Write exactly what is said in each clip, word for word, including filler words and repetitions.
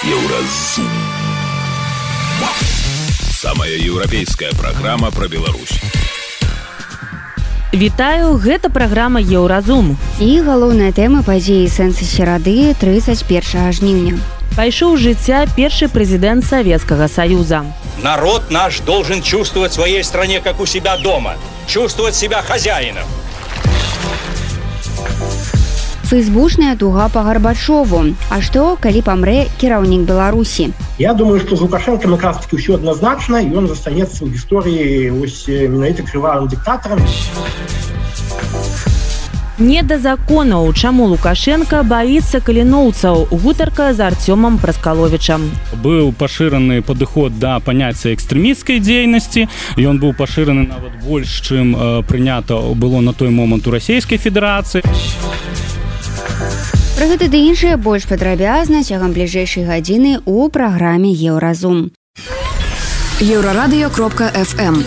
Еўразум. Самая еўрапейская праграма пра Беларусь. Вітаю, гэта праграма Еўразум. І галоўная тэма падзеі сэнсы серады тридцать первого жніўня. Пайшоў з жыцця першы прэзідэнт Советского Союза. Народ наш должен чувствовать в своей стране, как у себя дома. Чувствовать себя хозяином. Фейсбучная туга по Горбачеву. А что, калі памрэ кіраўнік Беларусі? Я думаю, что с Лукашенко как раз таки все однозначно, и он застанется в истории ось менавіта крывавым диктатором. Не да законаў, чаму Лукашенко баіцца каліноўцаў. Гутарка з Артёмом Праскаловічам. Быў пашыраны падыход да паняцця экстрэмісцкай дзейнасці. Ён быў пашыраны нават больш, чым э, прынята было на той момант у Расійскай Федэрацыі. Пра гэта ды іншае больш падрабязна цягам бліжэйшай гадзіны ў праграме Еўразум. Еўрарадыё кропка эф эм.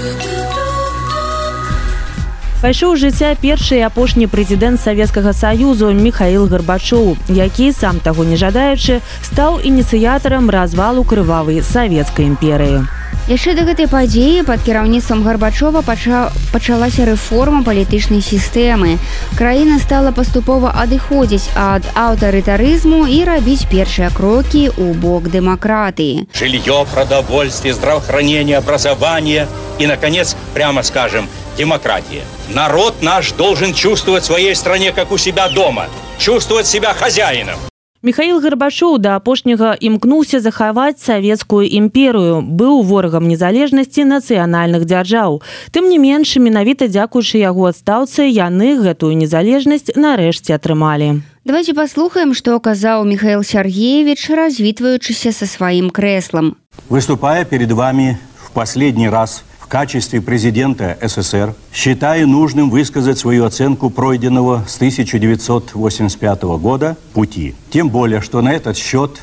Пайшоў з жыцця першы і апошні прэзідэнт Савецкага Саюзу Міхаіл Гарбачоў, які, сам таго не жадаючы, стаў ініцыятарам развалу крывавай савецкай імперыі. Яшчэ да гэтай падзеі пад кіраўніцтвам Гарбачова пача... пачалася рэформа палітычнай сістэмы. Краіна стала паступова адыходзіць ад аўтарытарызму і рабіць першыя крокі ў бок дэмакратыі. Жилье, продовольствие, здравоохранение, образование и, наконец, прямо скажем, демократия. Народ наш должен чувствовать в своей стране, как у себя дома. Чувствовать себя хозяином. Міхаіл Гарбачоў да апошняга імкнуўся захаваць савецкую імперыю, быў ворагам незалежнасці нацыянальных дзяржаў. Тым не менш, менавіта дзякуючы яго адстаўцы, яны гэтую незалежнасць нарэшце атрымалі. Давайте паслухаем, што казаў Михаил Сергеевич, развітваючыся са сваім крэслам. Выступая перед вами в последний раз в качестве президента СССР, считаю нужным высказать свою оценку пройденного с тысяча девятьсот восемьдесят пятого года пути. Тем более, что на этот счет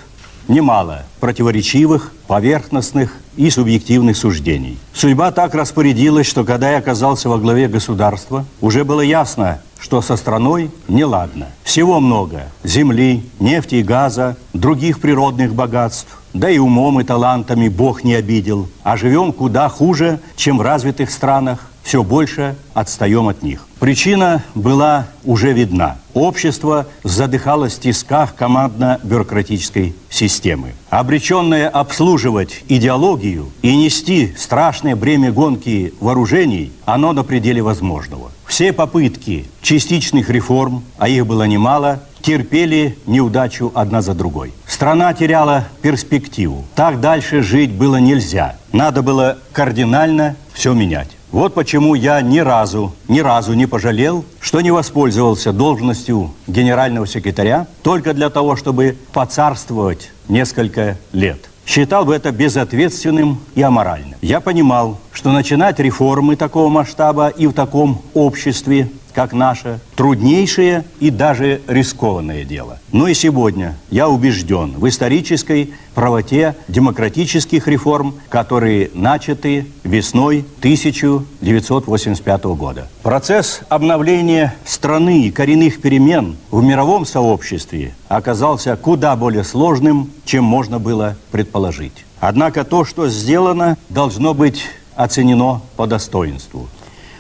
немало противоречивых, поверхностных и субъективных суждений. Судьба так распорядилась, что когда я оказался во главе государства, уже было ясно, что со страной неладно. Всего много – земли, нефти и газа, других природных богатств. Да и умом и талантами Бог не обидел. А живем куда хуже, чем в развитых странах. Все больше отстаем от них. Причина была уже видна. Общество задыхалось в тисках командно-бюрократической системы. Обреченное обслуживать идеологию и нести страшное бремя гонки вооружений, оно на пределе возможного. Все попытки частичных реформ, а их было немало, терпели неудачу одна за другой. Страна теряла перспективу. Так дальше жить было нельзя. Надо было кардинально все менять. Вот почему я ни разу, ни разу не пожалел, что не воспользовался должностью генерального секретаря только для того, чтобы поцарствовать несколько лет. Считал бы это безответственным и аморальным. Я понимал, что начинать реформы такого масштаба и в таком обществе, как наше, труднейшее и даже рискованное дело. Но и сегодня я убежден в исторической правоте демократических реформ, которые начаты весной тысяча девятьсот восемьдесят пятого года. Процесс обновления страны и коренных перемен в мировом сообществе оказался куда более сложным, чем можно было предположить. Однако то, что сделано, должно быть оценено по достоинству.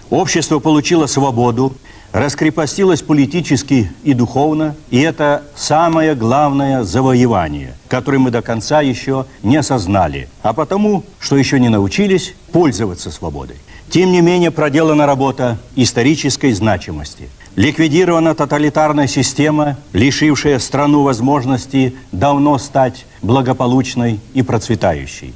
Общество получило свободу, раскрепостилось политически и духовно, и это самое главное завоевание, которое мы до конца еще не осознали, а потому, что еще не научились пользоваться свободой. Тем не менее, проделана работа исторической значимости. Ликвидирована тоталитарная система, лишившая страну возможности давно стать благополучной и процветающей.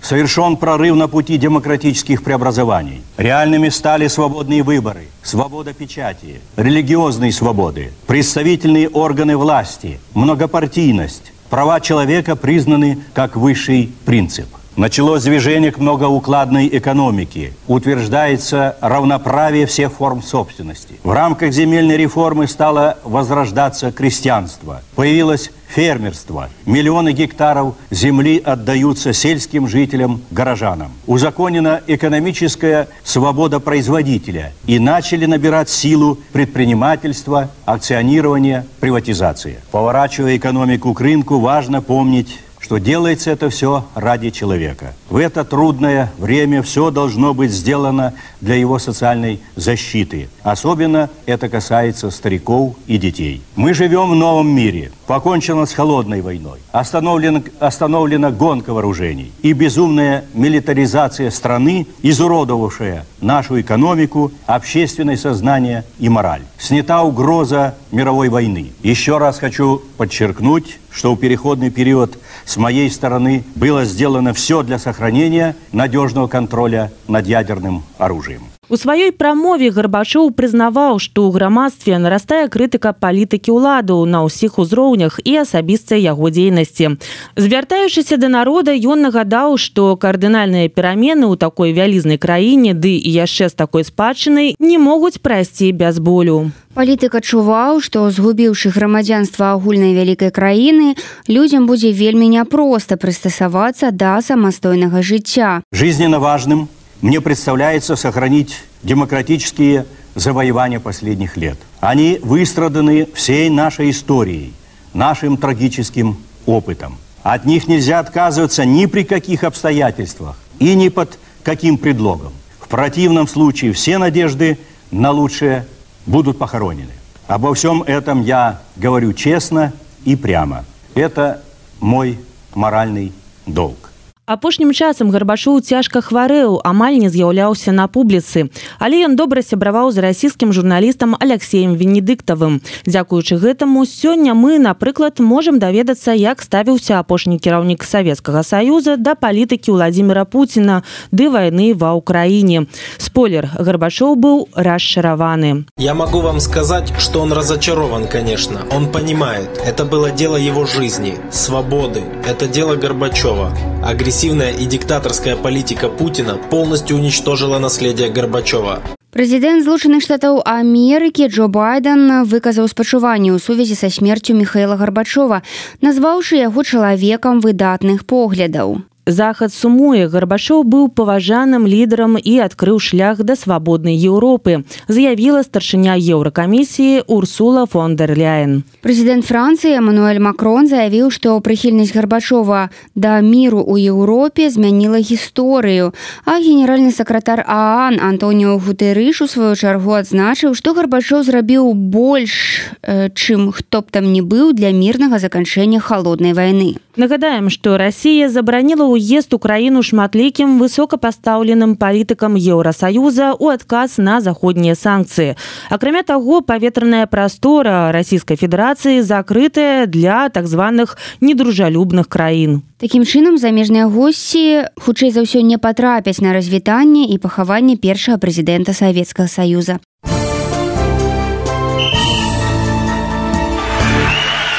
Совершен прорыв на пути демократических преобразований. Реальными стали свободные выборы, свобода печати, религиозные свободы, представительные органы власти, многопартийность. Права человека признаны как высший принцип. Началось движение к многоукладной экономике. Утверждается равноправие всех форм собственности. В рамках земельной реформы стало возрождаться крестьянство. Появилось фермерство. Миллионы гектаров земли отдаются сельским жителям, горожанам. Узаконена экономическая свобода производителя. И начали набирать силу предпринимательства, акционирования, приватизации. Поворачивая экономику к рынку, важно помнить что делается это все ради человека. В это трудное время все должно быть сделано для его социальной защиты. Особенно это касается стариков и детей. Мы живем в новом мире. Покончено с холодной войной. Остановлена, остановлена гонка вооружений. И безумная милитаризация страны, изуродовавшая нашу экономику, общественное сознание и мораль. Снята угроза мировой войны. Еще раз хочу подчеркнуть, что в переходный период с моей стороны было сделано все для сохранения надежного контроля над ядерным оружием. У сваёй прамове Гарбачоў прызнаваў, што ў грамадстве нарастае крытыка палітыкі ўладаў на ўсіх узроўнях і асабістай яго дзейнасці. Звяртаючыся да народа, ён нагадаў, што кардынальныя перамены ў такой вялізнай краіне, ды і яшчэ з такой спадчынай, не могуць прайсці без болю. Палітык адчуваў, што згубіўшы грамадзянства агульнай вялікай краіны, людзям будзе вельмі няпроста прыстасавацца да самастойнага жыцця. Жизненно важным мне представляется сохранить демократические завоевания последних лет. Они выстраданы всей нашей историей, нашим трагическим опытом. От них нельзя отказываться ни при каких обстоятельствах и ни под каким предлогом. В противном случае все надежды на лучшее будут похоронены. Обо всем этом я говорю честно и прямо. Это мой моральный долг. Апошнім часам Гарбачоў цяжка хварэў, амаль не з'яўляўся на публіцы. Але ён добра сябраваў з расійскім журналістам Алексеем Венедыктавым. Дзякуючы гэтаму, сёння мы, напрыклад, можам даведацца, як ставіўся апошні кіраўнік Савецкага Саюза да палітыкі Владимира Путина ды вайны ва Украине. Спойлер, Гарбачоў быў расчараваны. Я могу вам сказать, что он разочарован, конечно. Он понимает, это было дело его жизни, свободы. Это дело Горбачева. Агрессивная и диктаторская политика Путина полностью уничтожила наследие Горбачева. Прэзідэнт Злучаных Штатаў Амерыкі Джо Байден выказаў спачуванне ў сувязі са смерцю Міхаіла Гарбачова, назваўшы яго чалавекам выдатных поглядаў. Захад сумуе, Гарбачоў быў паважаным лідарам і адкрыў шлях да свабоднай Еўропы, заявіла старшыня Еўракамісіі Урсула фон дер Ляйен. Прэзідэнт Францыі Эммануэль Макрон заявіў, што прыхільнасць Гарбачова да міру ў Еўропе змяніла гісторыю, а генеральны сакратар ААН Антоніо Гутэрыш у сваю чаргу адзначыў, што Гарбачоў зрабіў больш, чым хто б там не быў для мірнага заканчэння халоднай вайны. Нагадаем, што Расія забараніла ўезд у краіну шматлікім высокапастаўленым палітыкам Еўрасаюза ў адказ на заходнія санкцыі. Акрамя таго, паветраная прастора Расійскай Федэрацыі закрытая для так званых недружалюбных краін. Такім чынам, замежныя госці хутчэй за ўсё не патрапяць на развітанне і пахаванне першага прэзідэнта Савецкага Саюза.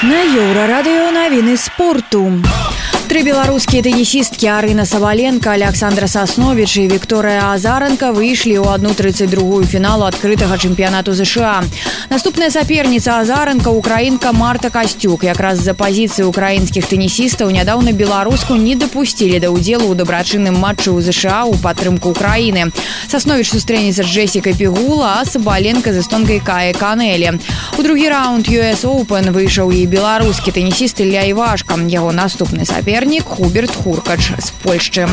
На Еўрарадыё навіны спорту. Тры беларускія тэнісісткі Арына Сабаленко, Александра Сасновіч і Вікторыя Азаранка выйшлі ў одну тридцать два фіналу адкрытага чэмпіянату ЗША. Наступная саперніца Азаранка – украінка Марта Касцюк. Якраз з-за пазіцыі украінскіх тэнісістаў нядаўна беларуску не дапусцілі да ўдзелу ў дабрачынным матчы ў ЗША ў падтрымку Украіны. Сасновіч сустрэнецца з Джесікай Пігула, а Сабаленко з эстонкай Каі Канелі. У другі раунд ю эс Open выйшаў і беларускі тэнісіст Ілля Івашка. Яго наступны сапернік Хуберт Хуркач з Польшчы.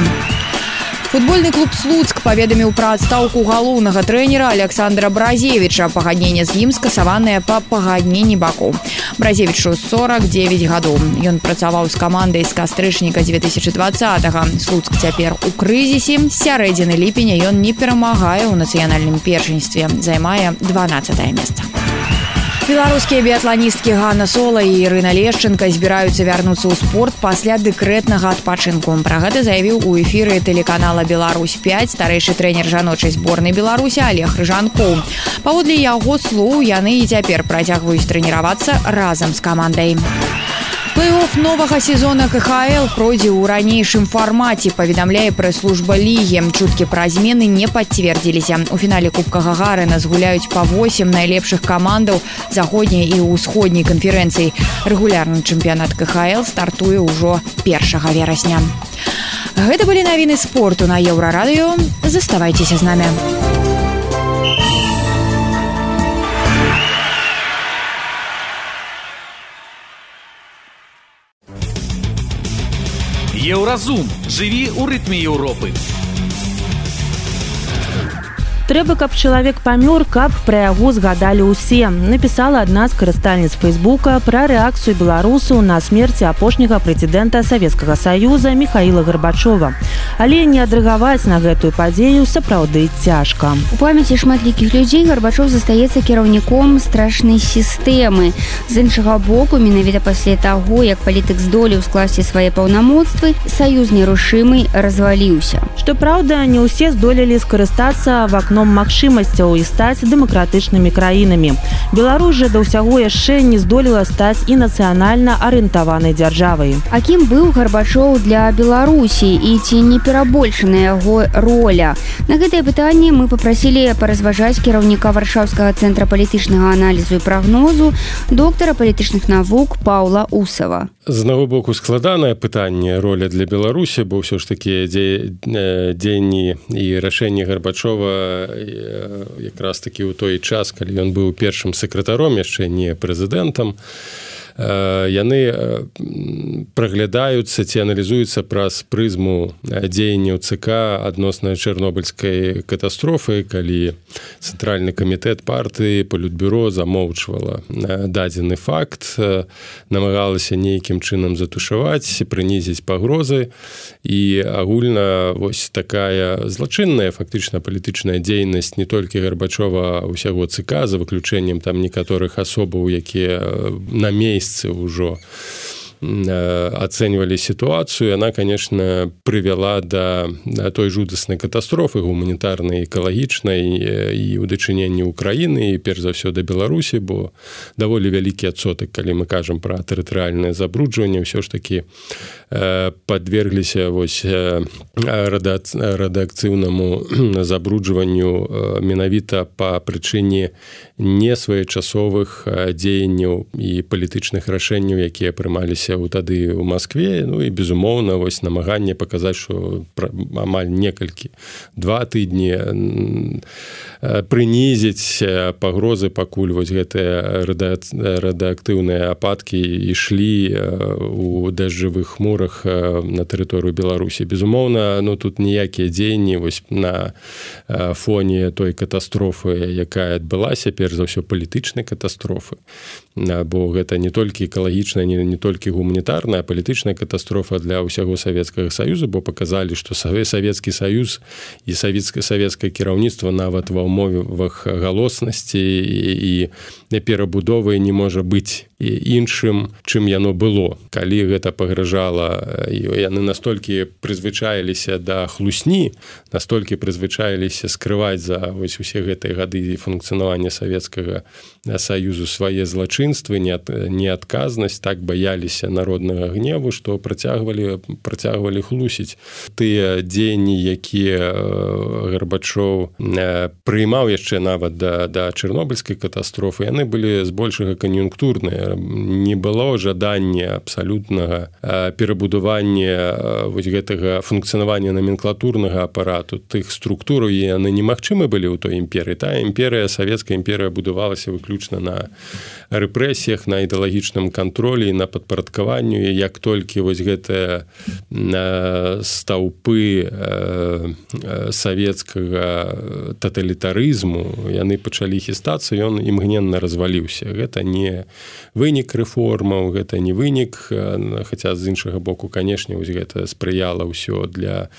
Футбольны клуб «Слуцк» паведаміў пра адстаўку галоўнага трэнера Александра Бразевіча. Пагадненне з ім скасаванае па пагадненні бакоў. Бразевічу сорок девять гадоў. Ён працаваў з камандай з кастрычніка две тысячи двадцатага. Слуцк цяпер у крызісе. З сярэдзіны ліпеня ён не перамагае ў нацыянальным першынстве. Займае дванаццатае месца. Беларускія біятланісткі Ганна Сола і Ірына Лешченка збіраюцца вярнуцца ў спорт пасля дэкрэтнага адпачынку. Пра гэта заявіў у эфіры тэлеканала «Беларусь пять» старэйшы трэнер жаночай зборнай Беларусі Олег Рыжанкоў. Паводле яго слоў, яны і цяпер працягваюць трэніравацца разам з камандай. Плэй-офф новага сезона ка ха эл пройдзе ў ранейшым фармаце, паведамляе прэс-служба лігі. Чуткі пра змены не пацвердзіліся. У фінале Кубка Гагарына згуляюць па восем найлепшых камандаў заходняй і ўсходняй канферэнцый. Рэгулярны чэмпіянат ка ха эл стартуе ўжо першага верасня. Гэта былі навіны спорту на Еўрарадыё. Заставайцеся з намі. Еўразум. Жыві ў рытме Еўропы. Трэба, каб чалавек памёр, каб пра яго згадалі ўсе. Напісала адна з карыстальніц Фейсбука пра рэакцыю беларусаў на смерць апошняга прэзідэнта Савецкага Саюза Міхаіла Гарбачова. Але не адрэагаваць на гэтую падзею сапраўды цяжка. У памяці шматлікіх людзей Гарбачов застаецца кіраўніком страшнай сістэмы. З іншага боку, менавіта пасля таго, як палітык здолеў скласці свае паўнамоцтвы, саюз нерушымы разваліўся. Што праўда, не ўсе здолелі скарыстацца вакном магчымасцяў і стаць дэмакратычнымі краінамі. Беларусь жа да ўсяго яшчэ не здолела стаць і нацыянальна арыентаванай дзяржавай. А кім быў Гарбачоў для Беларусі і ці не перабольшана яго роля? На гэтае пытанне мы папрасілі паразважаць кіраўніка Варшаўскага цэнтра палітычнага аналізу і прагнозу, доктара палітычных навук Паўла Усава. З аднаго боку складанае пытанне роля для Беларусі, бо ўсё ж такі дзеянні і рашэнні Гарбачова якраз такі ў той час, калі ён быў першым сакратаром, яшчэ не прэзідэнтам, яны праглядаюцца ці аналізуюцца праз прызму дзеянняў ЦК адносна чарнобыльскай катастрофы, калі цэнтральны камітэт партыі палітбюро замоўчвала дадзены факт, намагалася нейкім чынам затушаваць, прынізіць пагрозы, і агульна вось такая злачынная фактычна палітычная дзейнасць не толькі Гарбачова, а ўсяго ЦК, за выключэннем там некаторых асобаў, якія на месцы ўжо ацэньвалі сітуацыю, яна, конечно, прывяла да той жудаснай катастрофы гуманітарнай, экалагічнай і ў дачыненні ўкраіны, і перш за ўсё да Беларусі, бо даволі вялікі адсотак, калі мы кажам пра тэрытарыяльнае забруджванне, ўсё ж такі падвергліся вось радыакцыйнаму забруджванню менавіта па прычыне несвоечасовых дзеянняў і палітычных рашэнняў, якія прымаліся у тады ў Маскве. Ну і безумоўна вось намаганне паказаць, што амаль некалькі два тыдні прынізіць пагрозы, пакуль вось гэтыя радыактыўныя ападкі ішлі у дажджавых хмурах на тэрыторыю Беларусі. Безумоўна, ну тут ніякія дзеянні вось на фоне той катастрофы, якая адбылася, перш за ўсё палітычнай катастрофы, бо гэта не толькі экалагічная, не, не толькі гуманітарная, а палітычная катастрофа для ўсяго Савецкага Саюза, бо паказалі, што Савецкі Саюз і савецкае кіраўніцтва нават ва ўмовах галоснасці і перабудовы не можа быць іншым, чым яно было. Калі гэта пагражала, яны настолькі прызвычаіліся да хлусні, настолькі прызвычаіліся скрываць за вось усе гэтыя гады функцыянавання Савецкага Саюзу свае злачынствы, неадказнасць, так баяліся народнага гневу, што працягвалі, працягвалі хлусіць. Тыя дзеянні, якія Гарбачоў прыймаў яшчэ нават да, да чарнобыльскай катастрофы, яны былі збольшага кан'юнктурныя. Не было жадання абсалютнага перабудавання вось гэтага функцыянавання номенклатурнага апарату, тых структур, і яны немагчымы былі ў той імперыі. Тая імперыя, савецкая імперыя будавалася выключна на рэпрэсіях, на ідэалагічным кантролі, на падпарадкаванню. І як толькі вось гэтыя стаўпы савецкага таталітарызму яны пачалі хістацца, ён імгненна разваліўся. Гэта не вынік рэформаў, гэта не вынік, хаця з іншага боку, канешне, вось гэта спрыяла ўсё для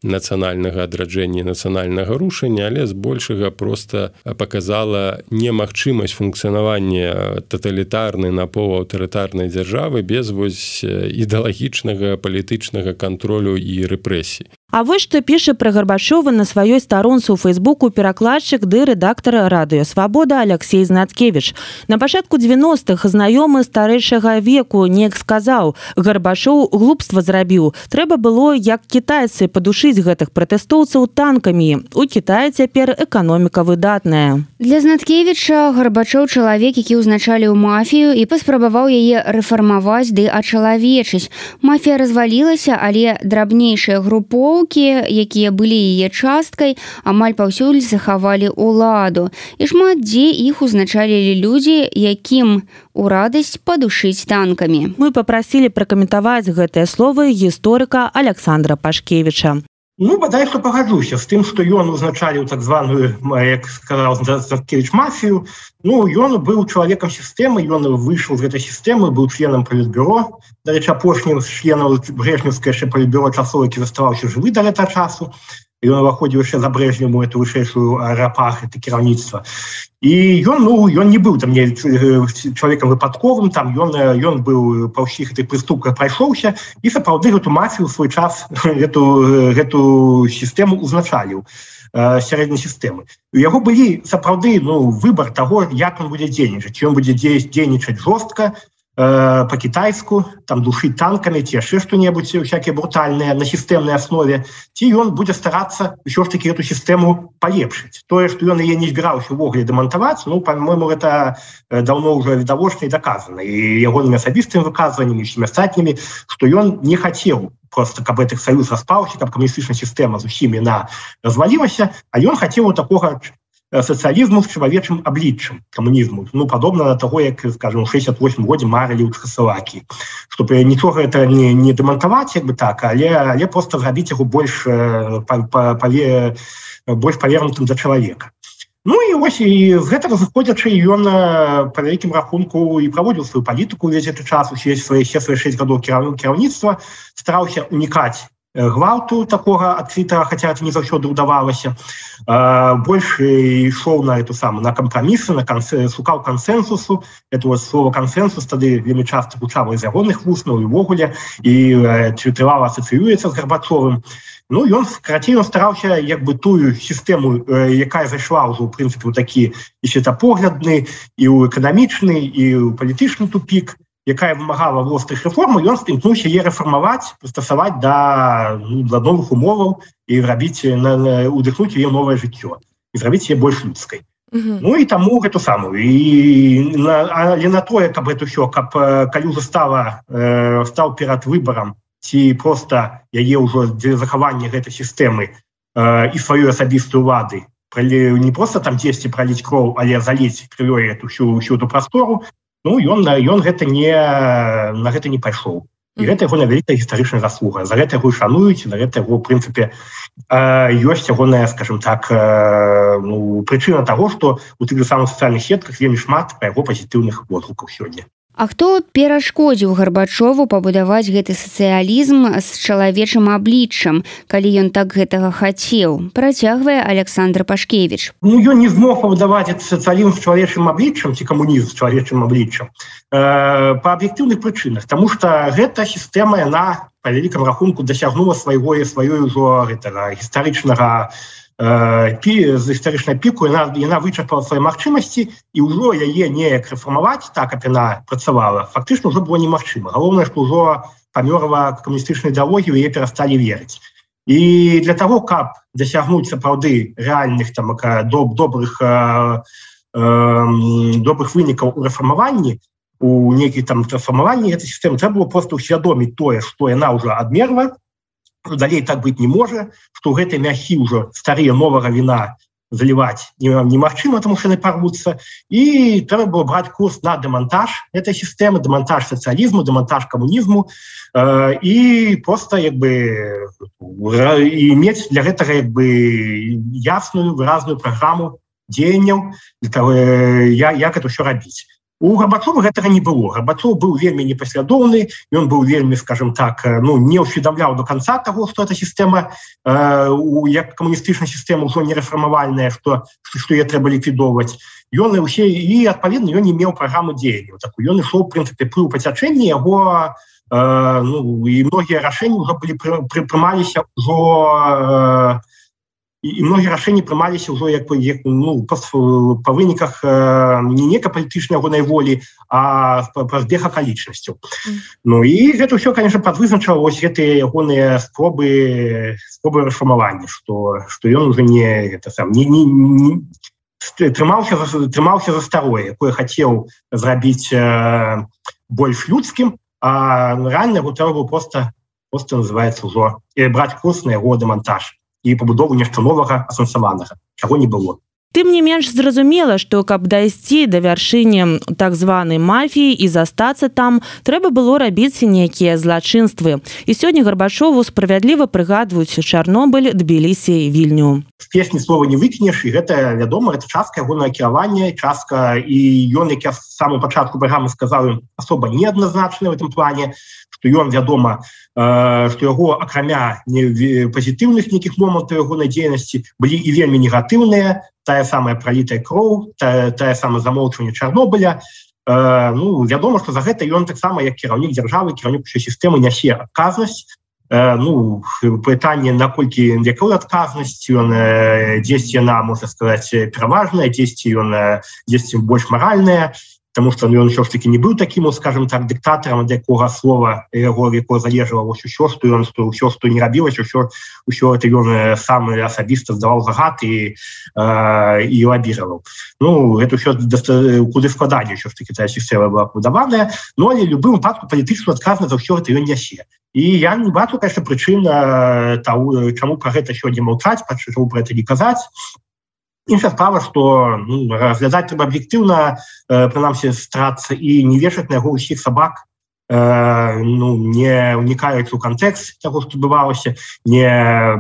нацыянальнага адраджэння, нацыянальнага рушання, але збольшага проста паказала немагчымасць функцыянавання таталітарнай, напаўаўтарытарнай дзяржавы без вось ідэалагічнага палітычнага кантролю і рэпрэсій. А вось што піша пра Гарбачова на сваёй старонцы ў Фейсбуку перакладчык ды рэдактар радыё «Свабода» Алексей Знаткевіч. На пачатку дзевяностых знаёмы старэйшага веку неяк сказаў: «Гарбачоў глупства зрабіў. Трэба было, як кітайцы, падушыць гэтых пратэстоўцаў танкамі. У Кітаі цяпер эканоміка выдатная». Для Знаткевіча Гарбачоў чалавек, які ўзначаліў мафію і паспрабаваў яе рэфармаваць ды ачалавечыць. Мафія развалілася, але драбнейшыя групоўкі групоўкі, якія былі яе часткай, амаль паўсюль захавалі ўладу. І шмат дзе іх узначалілі людзі, якім у радасць падушыць танкамі. Мы папрасілі пракаментаваць гэтыя словы гісторыка Александра Пашкевіча. Ну, бадай, што пагаджуся з тым, што ён узначаліў так званую, як сказаў Заткевіч, мафію. Ну, ён быў чалавекам сістэмы, ён выйшаў з гэтай сістэмы, быў членам палітбюро. Дарэчы, апошнім з членаў брэжнеўскай яшчэ палітбюро часоў, які заставаўся жывы да гэтага часу. Ён уваходзіў яшчэ за Брэжневу эту вышэйшую аэрапах, это кіраўніцтва. І ён, ну, ён не быў там не чалавекам выпадковым, там ён, ён быў па ўсіх гэтых прыступках прайшоўся і сапраўды гэту мафію ў свой час, гэту, гэту сістэму узначаліў, э, сярэдняй сістэмы. У яго былі сапраўды, ну, выбар таго, як ён будзе дзейнічаць. Ці ён будзе дзейнічаць жорстка, э, па-кітайску, там душыць танкамі, ці яшчэ што-небудзь, всякие брутальныя на сістэмнай аснове, ці ён будзе старацца ўсё ж такі эту сістэму палепшыць. Тое, што ён яе не збіраўся ўвогуле дэмантаваць, ну, па-мойму, гэта даўно ўжо відавочна і даказана. І ягонымі асабістымі выказваннямі, і ўсімі астатнімі, што ён не хацеў просто, каб гэтых саюз распаўся, каб камуністычная сістэма з усімі на развалілася, а ён хацеў такога сацыялізму з чалавечым абліччам, камунізму. Ну, падобна на таго, як, скажем, у шэсцьдзесят восьмым годзе марылі ў Чэхаславакіі. Што нічога гэта не, не дэмантаваць, як бы так, але, але проста зрабіць яго больш, па, па, паве, больш павернутым да чалавека. Ну і ось і з гэтага зыходзячы ён па вялікім рахунку і праводзіў сваю палітыку ўвесь гэты час, усе свае шэсць гадоў кіраўніцтва, стараўся унікаць гвалту такога адкрытага, хаця это не заўсёды ўдавалася. Больш ішоў на эту самую, на кампрамісы, на кансе, шукаў кансенсусу. Это вот слово кансенсус тады вельмі часта гучала з ягоных вуснаў і ўвогуле, і трывала асацыюецца з Гарбачовым. Ну, ён, карацей, ён стараўся як бы тую сістэму, якая зайшла ўжо, ў прынцыпе, у такі і светапоглядны, і ў эканамічны, і ў палітычны тупік, якая вымагала вострых рэформаў, ён імкнуўся яе рэфармаваць, прыстасаваць да, ну, да новых умоваў і рабіць, удыхнуць яе новае жыццё і зрабіць яе больш людскай. Mm-hmm. Ну і таму гэту самую. І на, але на тое, каб гэта ўсё, каб калі ўжо стала, э, стаў перад выбарам, ці проста яе ўжо для захавання гэтай сістэмы э, і сваёй асабістай улады, не проста там дзесьці праліць кроў, але заліць крывёй эту всю, всю эту прастору, ну, ён, ён гэта не, на гэта не пайшоў. І гэта яго вялікая гістарычная заслуга. За гэта яго шануюць, за гэта яго, ў прынцыпе, ёсць ягоная, скажем так, ну, прычына таго, што у тых самых сацыяльных сетках вельмі шмат пра яго пазітыўных водгукаў сёння. А хто перашкодзіў Гарбачову пабудаваць гэты сацыялізм з чалавечым абліччам, калі ён так гэтага хацеў? Працягвае Александр Пашкевіч. Ну, ён не змог пабудаваць сацыялізм з чалавечым абліччам, ці камунізм з чалавечым абліччам, э, па аб'ектыўных прычынах, таму што гэта сістэма, яна па вялікам рахунку дасягнула свайго і сваёй ужо гэтага гістарычнага з гістарычнай піку, яна, яна вычарпала свае магчымасці, і ўжо яе неяк рэфармаваць, так, як яна працавала, фактычна ўжо было немагчыма. Галоўнае, што ўжо памёрла камуністычная ідэалогія, яе перасталі верыць. І для таго, каб дасягнуць сапраўды рэальных там, доб, добрых, э, э, добрых вынікаў у рэфармаванні, у нейкіх там рэфармаванні гэтай сістэмы, трэба было проста ўсвядоміць тое, што яна ўжо адмерла, далей так быць не можа, што ў гэтай мяхі ўжо старыя новага віна заліваць немагчыма, таму што яны парвуцца, і трэба было браць курс на дэмантаж гэтай сістэмы, дэмантаж сацыялізму, дэмантаж камунізму, э, і проста як бы і мець для гэтага як бы ясную, выразную праграму дзеянняў для таго, як гэта ўсё рабіць. У Гарбачова гэтага не было. Гарбачов быў вельмі непаслядоўны, ён быў вельмі, скажем так, ну, не ўсведамляў до конца таго, што эта сістэма, э, як камуністычная сістэма ўжо не рэфармавальная, што, што яе трэба ліквідоўваць. Ён і ўсе, і, адпаведна, ён не меў праграму дзеянняў. Так, ён ішоў, в прынцыпе, пры пацячэнні яго, э, ну, і многія рашэнні ўжо былі прымаліся ўжо э, і многія рашэнні прымаліся ўжо як, як, ну, па, па выніках э, не некай палітычнай ягонай волі, а па збег акалічнасцяў. Mm. Ну і гэта ўсё, конечно, падвызначала вось гэтыя ягоныя спробы спробы рэфармавання, што, што ён уже не, гэта, сам, не, не, не трымаўся, трымаўся за старое, якое хацеў зрабіць э, больш людскім, а рэальна яго трэба было проста просто называется ўжо браць курс на яго дэмантаж і пабудову нешта новага асэнсаванага, чаго не было. Тым не менш зразумела, што каб дайсці да вяршыні так званай мафіі і застацца там, трэба было рабіць нейкія злачынствы. І сёння Гарбачову справядліва прыгадваюць Чарнобыль, Тбілісі, Вільню. З песні слова не выкінеш, і гэта, вядома, гэта частка ягонага кіравання, частка, і ён, як я з самого пачатку праграмы сказаў, асоба неадназначная в этом плане, што ён, вядома, што яго, акрамя пазітыўных нейкіх момантаў ягонай дзейнасці, былі і вельмі негатыўныя, тая самая пролітая кроў, тая, тая самая замоўчванне Чарнобыля. Э, ну, вядома, што за гэта ён таксама, як кіраўнік дзяржавы, кіраўнік усёй сістэмы нясе адказнасць. Э, ну, пытанне, наколькі якую адказнасць, ён э, дзесьці яна, можна сказаць, пераважная, дзесьці ён э, дзесьці больш маральная, потому что ну, ён ўсё ж таки не быў таким, скажем так, дыктатарам, ад якога слова яго якого залежала ўсё, што ён, што ўсё, што не рабілася, ўсё, ўсё это ён сам асабіста здаваў загад і, э, і лабіраваў. Ну, это ўсё куды складаней ўсё ж таки тая сістэма была пабудаваная, но але любым выпадку палітычную адказнасць за ўсё гэта ён нясе. І я не бачу, конечно, прычын того, чаму пра гэта сёння маўчаць, чаму пра гэта не казаць. Іншая справа, што ну, разглядаць трэба аб'ектыўна, э, прынамсі старацца і не вешаць на яго ўсіх сабак, э, ну, не ўнікаючы ў кантэкст таго, што адбывалася, не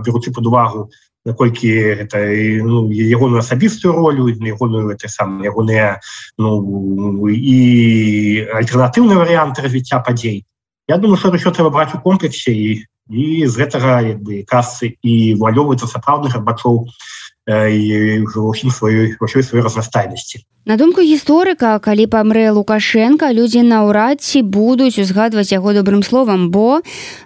беручы пад увагу, наколькі гэта ну, ягоную асабістую ролю, ягоную гэта сам ягоныя ну, і альтэрнатыўныя варыянты развіцця падзей. Я думаю, што ўсё трэба браць у комплексе і, і з гэтага як бы касы і валёваецца сапраўдны Гарбачоў і ўсім сваёй сваёй разнастайнасці. На думку гісторыка, калі памрэ Лукашенка, людзі наўрад ці будуць узгадваць яго добрым словам, бо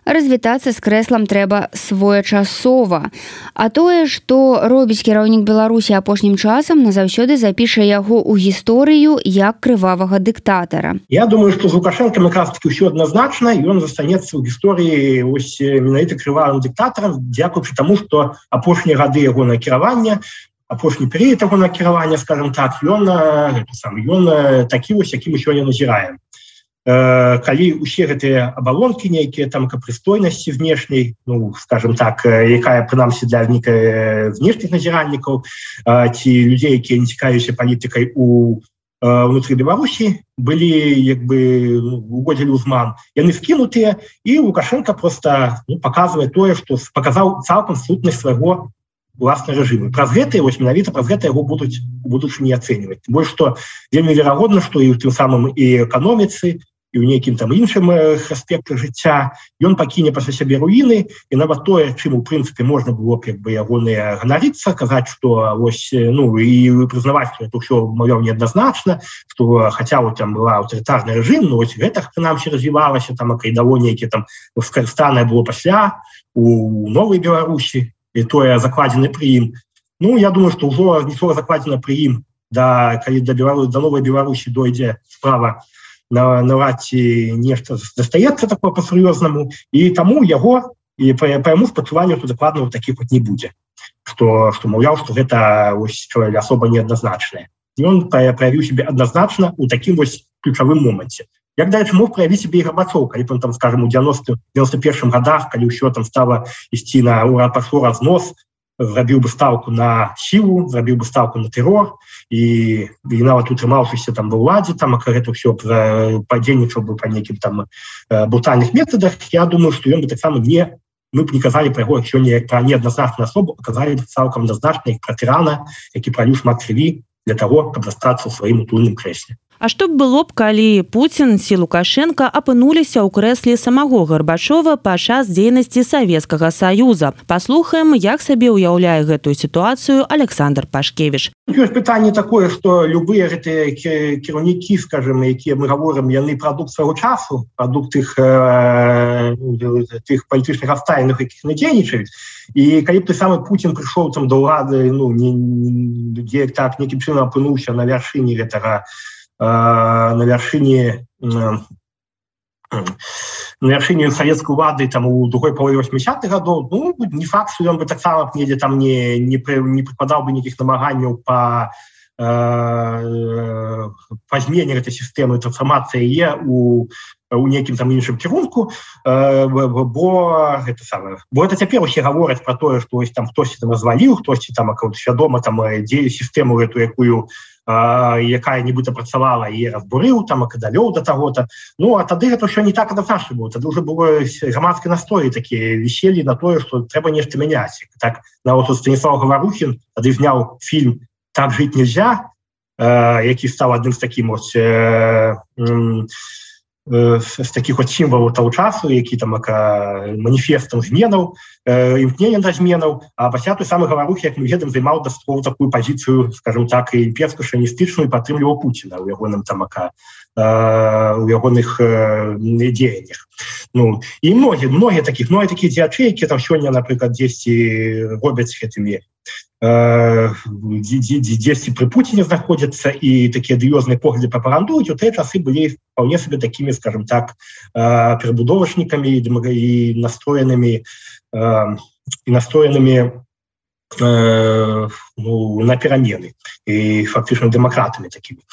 развітацца з крэслам трэба своечасова. А тое, што робіць кіраўнік Беларусі апошнім часам, назаўсёды запіша яго ў гісторыю як крывавага дыктатара. Я думаю, што з Лукашенкам якраз-таки ўсё адназначна, і ён застанецца ў гісторыі ось менавіта крывавым дыктатарам, дзякуючы таму, што апошнія гады яго накіравання, апошні перыяд таго накіравання, скажем так, ён, сам, ён такі вось, які мы сёння назіраем. Э, калі ўсе гэтыя абалонкі нейкія, там, прыстойнасці знешняй, ну, скажем так, якая, прынамсі, для нейкай знешніх назіральнікаў, э, ці людзей, якія не цікавіліся палітыкай у э, ўнутры Беларусі, былі, як бы, ну, угодзілі ўзман, яны скінутыя, і Лукашенко просто ну, паказвае тое, што паказаў цалкам сутнасць свайго власны рэжым. Праз гэта, вось менавіта праз гэта яго будуць у будучыні ацэньваць. Больш што вельмі верагодна, што і ў тым самым і эканоміцы, і ў нейкім там іншым аспектах жыцця ён пакіне пасля сябе руіны, і нават тое, чым у прынцыпе можна было б як бы ягоныя ганарыцца, казаць, што вось ну і прызнаваць, што это ўсё мовяў неадназначна, што хаця вот там была аўтарытарны рэжым, но вось гэта прынамсі развівалася, там акайдаво нейкі там скарыстанае было пасля у новай Беларусі, і тое закладзены пры ім. Ну, я думаю, што ўжо нічога закладзена пры ім, да, калі да, Белару, да новай Беларусі дойдзе справа, наврад ці нешта застаецца такое па-сур'ёзнаму, і таму яго, і па яму спачуванню, то дакладна вот такіх вот не будзе. Што, што маўляў, што гэта ось, асоба неадназначная. І ён праявіў сябе адназначна ў такім вось ключавым моманце. Як, дарэчы, мог праявіць сябе і Гарбачоў, калі там, скажем, у девяносто першым гадах, калі ўсё там стала ісці на ура, пашло разнос, зрабіў бы ставку на сілу, зрабіў бы ставку на тэрор, і, і нават утрымаўшыся там ва ўладзе, там, а гэта ўсё падзейнічаў бы па нейкім там брутальных метадах, я думаю, што ён бы таксама не, мы б не казалі пра яго сёння як пра неадназначную асобу, а казалі б цалкам адназначна як пра тырана, які праліў шмат крыві для таго, каб застацца ў сваім утульным крэсле. А што б было б, калі Пуцін ці Лукашенко апынуліся ў крэсле самого Гарбачова падчас дзейнасці Савецкага Саюза? Паслухаем, як сабе ўяўляе гэтую сітуацыю Александр Пашкевіч. Ёсць пытанне такое, што любыя гэтыя кіраўнікі, скажем, якія мы гаворым, яны прадукт свайго часу, прадукт тых, э, тых палітычных абставінах, якіх яны дзейнічаюць. І калі б той самы Пуцін прыйшоў там да ўлады, ну, не, не, так нейкім чынам апынуўся на вяршыні гэтага на вяршыні на вяршыні савецкай улады там у другой палове восьмідзесятых гадоў, ну, не факт, што ён бы таксама недзе там не, не, не прыкладаў бы нейкіх намаганняў па, э, па змене гэтай сістэмы трансфармацыі яе у у нейкім там іншым кірунку, бо гэта самае, бо это цяпер усе гавораць про тое, што ось там хтосьці там разваліў, хтосьці там свядома там дзею сістэму эту, якую якая нібыта працавала і разбурыў там акадалёў да таго-то. Ну а тады гэта ўсё не так адназначна было. Тады ўжо было грамадскія настроі такія віселі на тое, што трэба нешта мяняць. Так нават Станіслав Гаварухін тады зняў фільм «Так жыць нельзя», які стаў адным з такім ось з такіх от сімвалаў таго часу, які там маніфестам зменаў, імкненнем да зменаў, а пасля той самы Гаварухі, як мы ведаем, займаў дастаткова такую пазіцыю, скажем так, імперска-шавіністычную, падтрымліваў Пуціна ў ягоным там у ягоных дзеяннях. Ну, і многія, многія такіх, многія такія дзеячы, якія там сёння, напрыклад, дзесьці робяць гэтымі дзесьці пры Пуціне знаходзяцца і такія адыёзныя погляды прапагандуюць, у тыя часы былі вполне себе такімі, скажем так, перабудовачнікамі і настроенымі і настроенымі ну, на перамены і фактычна дэмакратамі такімі.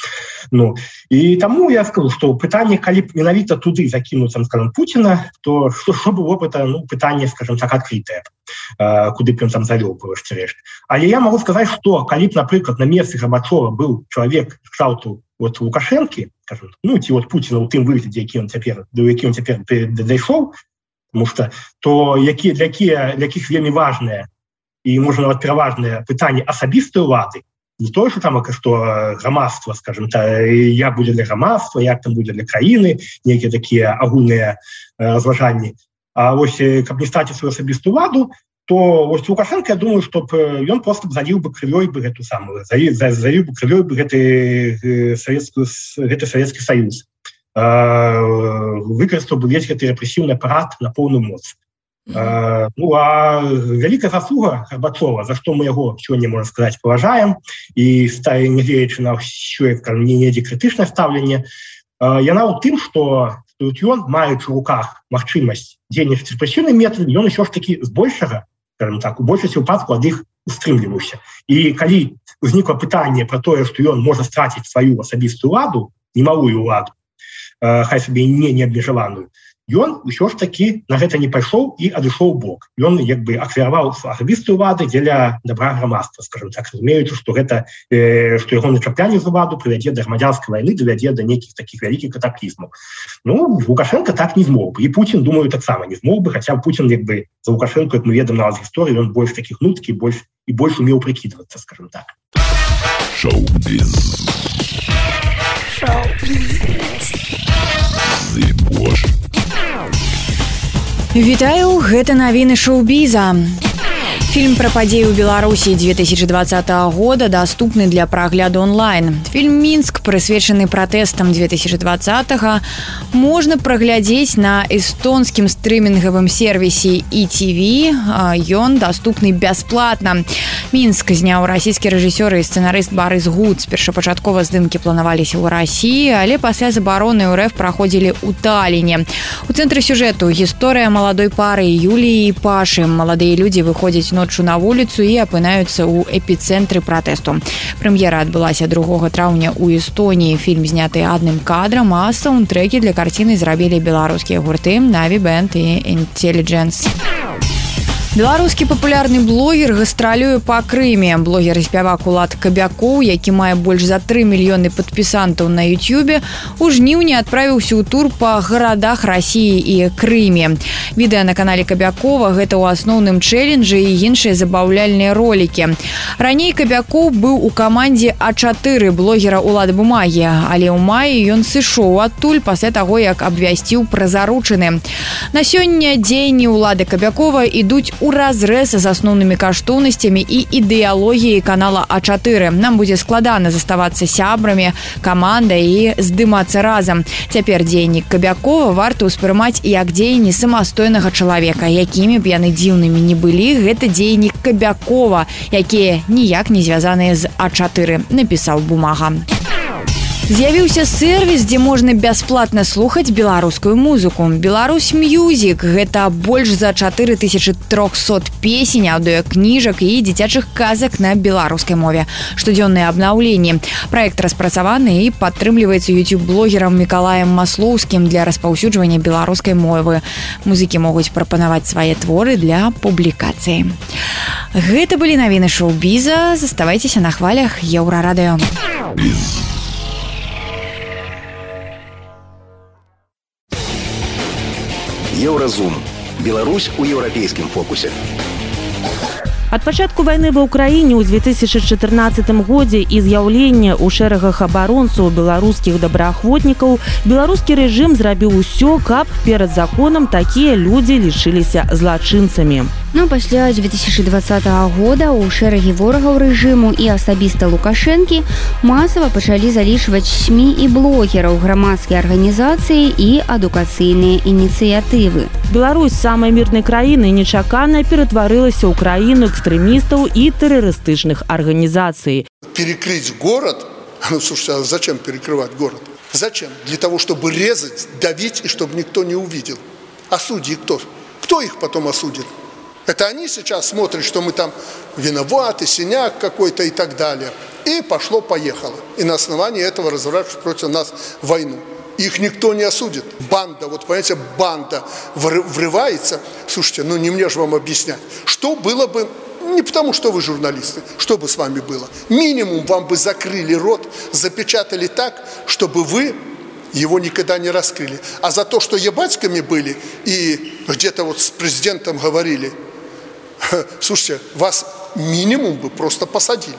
Ну, і таму я скажу, што пытанне, калі б менавіта туды закінуцца, скажем, Пуціна, то што, што было б это, ну, пытанне, скажем так, адкрытае, куды б ён там завёў бы рэшт. Але я магу сказаць, што калі б, напрыклад, на месцы Гарбачова быў чалавек кшталту вот Лукашэнкі, скажем, ну, ці вот Пуціна ў тым выглядзе, які ён цяпер, да які ён цяпер дайшоў, тому што то якія для якія для якіх вельмі важныя і можна нават пераважныя пытанні асабістай улады, не тое, што там што грамадства, скажем, та як будзе для грамадства, як там будзе для краіны, нейкія такія агульныя разважанні. А вось каб не страціць сваю асабістую уладу, то вось Лукашенко, я думаю, што ён просто б заліў бы крывёй бы гэту самую, заліў бы крывёй бы гэты савецкі гэты Савецкі Саюз, выкарыстаў бы весь гэты рэпрэсіўны апарат на поўную моц. Uh, ну, а вялікая заслуга Гарбачова, за што мы яго сёння, можна сказаць, паважаем і нягледзячы на ўсё недзе крытычнае стаўленне, uh, яна ў тым, што ён, маючы ў руках магчымасць дзейнічаць рэпрэсіўным метадам, ён усё ж такі збольшага, скажем так, у большасці выпадку ад іх устрымліваўся. І калі ўзнікла пытанне пра тое, што ён можа страціць сваю асабістую уладу, немалую уладу, uh, хай сабе не неабмежаваную, ён усё ж такі на гэта не пайшоў і адышоў бок. Ён як бы ахвяраваў асабістую уладу дзеля добра грамадства, скажем так, разумеючы, што гэта э, што яго начаплянне з уладу прывядзе да грамадзянскай вайны, давядзе да нейкіх такіх вялікіх катаклізмаў. Ну, Лукашенко так не змог бы. І Пуцін, думаю, таксама не змог бы, хаця Пуцін як бы за Лукашенко, як мы ведаем на гісторыі, ён больш такіх нуткі, больш і больш умеў прыкідвацца, скажем так. Шоу-біз. Шоу-біз. Зыбош. Вітаю, гэта навіны шоу-біза. Фільм пра падзеі ў Беларусі две тысячи двадцатого года даступны для прагляду онлайн. Фільм «Мінск», прысвечаны пратэстам две тысячи двадцатого, можна праглядзець на эстонскім стрымінгавым сервісе і ти ви. Ён даступны бясплатна. «Мінск» зняў расійскі рэжысёр і сцэнарыст Барыс Гуц. Першапачаткова здымкі планаваліся ў Расіі, але пасля забароны РФ праходзілі ў Таліне. У цэнтры сюжэту гісторыя маладой пары Юліі і Пашы. Маладыя людзі выходзяць ноччу на вуліцу і апынаюцца ў эпіцэнтры пратэсту. Прэм'ера адбылася другога траўня ў Эстоніі. Фільм зняты адным кадрам, а саундтрэкі для карціны зрабілі беларускія гурты Na'Vi Band і Intelligence. Беларускі папулярны блогер гастралюе па Крыме. Блогер і спявак Улад Кабякоў, які мае больш за тры мільёны падпісантаў на Ютубе, у жніўні адправіўся ў тур па гарадах Расіі і Крыме. Відэа на канале Кабякова – гэта ў асноўным чэлленджы і іншыя забаўляльныя ролікі. Раней Кабякоў быў у камандзе А чатыры блогера Улад Бумагі, але ў маі ён сышоў адтуль пасля таго, як абвясціў пра заручыны. На сёння дзеянні Улада Кабякова ідуць у разрэз з асноўнымі каштоўнасцямі і ідэалогіяй канала А чатыры. Нам будзе складана заставацца сябрамі, камандай і здымацца разам. Цяпер дзеянні Кабякова варта ўспрымаць як дзеянні самастойнага чалавека. Якімі б яны дзіўнымі не былі, гэта дзеянні Кабякова, якія ніяк не звязаныя з А чатыры, напісаў Бумага. З'явіўся сервіс, дзе можна бясплатна слухаць беларускую музыку. Беларусь Мьюзік – гэта больш за чатыры тысячы трохсот песень, аўдыёкніжак і дзіцячых казак на беларускай мове. Штодзённыя абнаўленні. Праект распрацаваны і падтрымліваецца YouTube-блогерам Мікалаем Маслоўскім для распаўсюджвання беларускай мовы. Музыкі могуць прапанаваць свае творы для публікацыі. Гэта былі навіны шоу-біза. Заставайцеся на хвалях Еўрарадыё. Еўразум. Беларусь у еўрапейскім фокусе. Ад пачатку вайны ва ўкраіне ў две тысячы чатырнаццатым годзе і з'яўлення ў шэрагах абаронцаў беларускіх добраахвотнікаў беларускі рэжым зрабіў усё, каб перад законам такія людзі лічыліся злачынцамі. Ну, пасля две тысячи двадцатого года ў шэрагі ворагаў рэжыму і асабіста Лукашэнкі масава пачалі залічваць СМІ і блогераў, грамадскія арганізацыі і адукацыйныя ініцыятывы. Беларусь самай мірнай краіны нечакана ператварылася ў краіну экстремистов и террористичных организаций. Перекрыть город? Ну, слушайте, а зачем перекрывать город? Зачем? Для того, чтобы резать, давить и чтобы никто не увидел. А судьи кто? Кто их потом осудит? Это они сейчас смотрят, что мы там виноваты, синяк какой-то и так далее. И пошло-поехало. И на основании этого разворачивают против нас войну. Их никто не осудит. Банда, вот понимаете, банда врывается. Слушайте, ну не мне же вам объяснять. Что было бы, не потому что вы журналисты, что бы с вами было? Минимум вам бы закрыли рот, запечатали так, чтобы вы его никогда не раскрыли. А за то, что ебатьками были и где-то вот с президентом говорили, слушайте, вас минимум бы просто посадили.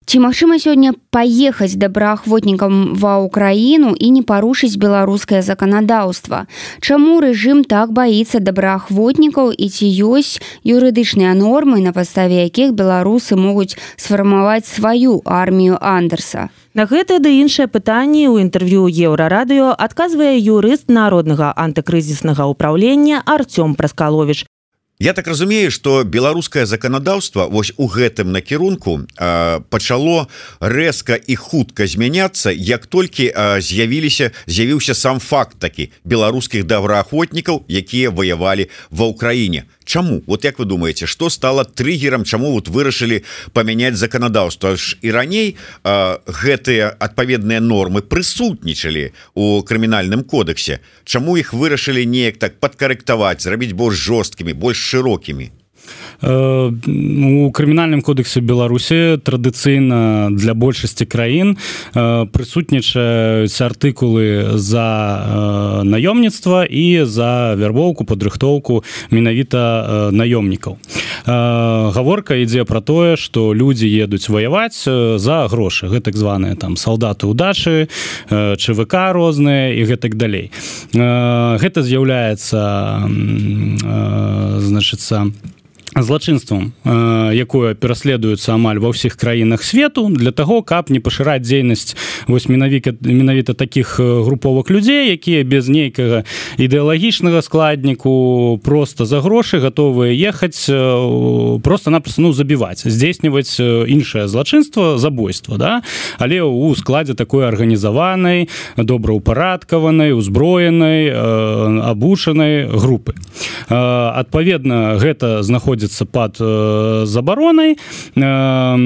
Ці магчыма сёння паехаць добраахвотнікам ва ўкраіну і не парушыць беларускае заканадаўства? Чаму рэжым так баіцца добраахвотнікаў і ці ёсць юрыдычныя нормы, на падставе якіх беларусы могуць сфармаваць сваю армію Андерса? На гэта ды іншае пытанне ў інтэрв'ю Еўрарадыё адказвае юрыст Народнага антыкрызіснага ўпраўлення Артём Праскаловіч. Я так разумею, што беларускае заканадаўства вось у гэтым накірунку э, пачало рэзка і хутка змяняцца, як толькі э, з'явіліся з'явіўся сам факт такі беларускіх добраахвотнікаў, якія ваявалі ва ўкраіне. Чаму? Вот як вы думаеце, што стало триггером, чаму вот вырашылі памяняць заканадаўства? Ж і раней э, гэтыя адпаведныя нормы прысутнічалі у крымінальным кодексе. Чаму іх вырашылі неяк так падкарэктаваць, зрабіць больш жорсткімі, больш шырокімі? У крымінальным кодексе Беларусі традыцыйна для большасці краін прысутнічаюць артыкулы за наёмніцтва і за вярбоўку, падрыхтоўку менавіта наёмнікаў. Гаворка ідзе пра тое, што людзі едуць ваяваць за грошы, гэтак званыя там салдаты удачы, ЧВК розныя і гэтак далей. Гэта з'яўляецца, значыцца, злачынствам, якое пераследуецца амаль ва ўсіх краінах свету для таго, каб не пашыраць дзейнасць вось менавіта менавіта такіх груповак людзей, якія без нейкага ідэалагічнага складніку просто за грошы гатовыя ехаць просто-напросто ну, забіваць, здзейсніваць іншае злачынства, забойства, да? Але ў складзе такой арганізаванай, добраўпарадкаванай, узброенай, абучанай групы. Адпаведна, гэта знаходзіцца под э, забаронай э,